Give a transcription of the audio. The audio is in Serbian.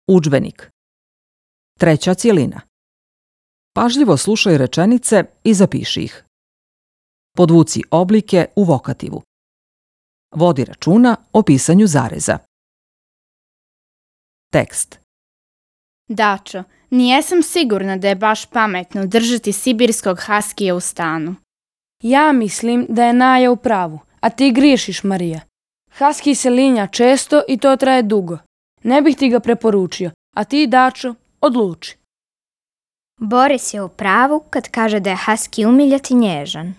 Udžbenik. Treća cjelina. Pažljivo slušaj rečenice i zapiši ih. Podvuci oblike u vokativu. Vodi računa o pisanju zareza. Tekst. Dačo, nijesam sigurna da je baš pametno držati sibirskog haskija u stanu. Ja mislim da je Naja u pravu, a ti griješiš, Marija. Haski se linja često i to traje dugo. Ne bih ti ga preporučio, a ti, Dačo, odluči. Boris je u pravu kad kaže da je haski umiljat i nježan.